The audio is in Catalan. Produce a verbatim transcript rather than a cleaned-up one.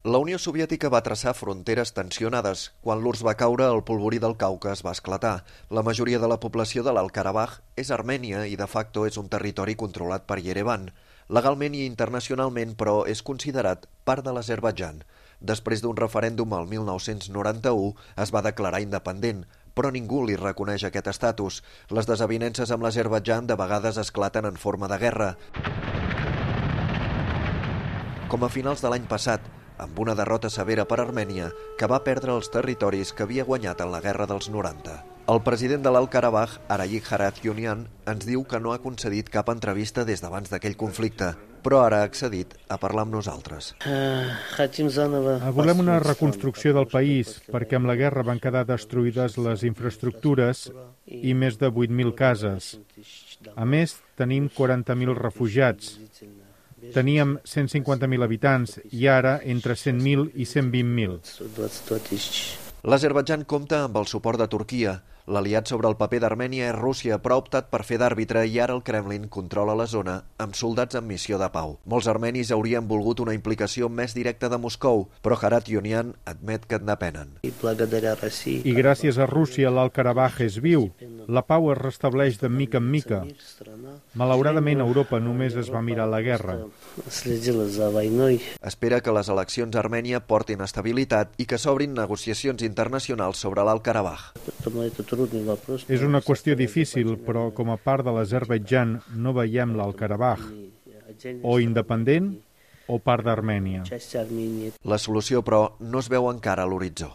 La Unió Soviètica va traçar fronteres tensionades. Quan l'U R S S va caure, el polvorí del Caucas va esclatar. La majoria de la població de l'Alt-Karabakh és armènia i de facto és un territori controlat per Yerevan. Legalment i internacionalment, però, és considerat part de l'Azerbaidjan. Després d'un referèndum el mil nou-cents noranta-u es va declarar independent, però ningú li reconeix aquest estatus. Les desavinences amb l'Azerbaidjan de vegades esclaten en forma de guerra. Com a finals de l'any passat, amb una derrota severa per Armènia, que va perdre els territoris que havia guanyat en la guerra dels noranta. El president de l'Alt-Karabakh, Arayik Harutyunyan, ens diu que no ha concedit cap entrevista des d'abans d'aquell conflicte, però ara ha accedit a parlar amb nosaltres. Volem una reconstrucció del país, perquè amb la guerra van quedar destruïdes les infraestructures i més de vuit mil cases. A més, tenim quaranta mil refugiats. Teníem cent cinquanta mil habitants i ara entre cent mil i cent vint mil. L'Azerbaidjan compta amb el suport de Turquia. L'aliat sobre el paper d'Armènia és Rússia, però ha optat per fer d'àrbitre i ara el Kremlin controla la zona amb soldats en missió de pau. Molts armenis haurien volgut una implicació més directa de Moscou, però Harutyunyan admet que en depenen. I gràcies a Rússia l'Alt-Karabakh és viu. La pau es restableix de mica en mica. Malauradament, Europa només es va mirar la guerra. Espera que les eleccions a Armènia portin estabilitat i que s'obrin negociacions internacionals sobre l'Alt-Karabakh. És una qüestió difícil, però com a part de l'Azerbaidjan no veiem l'Alt-Karabakh o independent o part d'Armènia. La solució, però, no es veu encara a l'horitzó.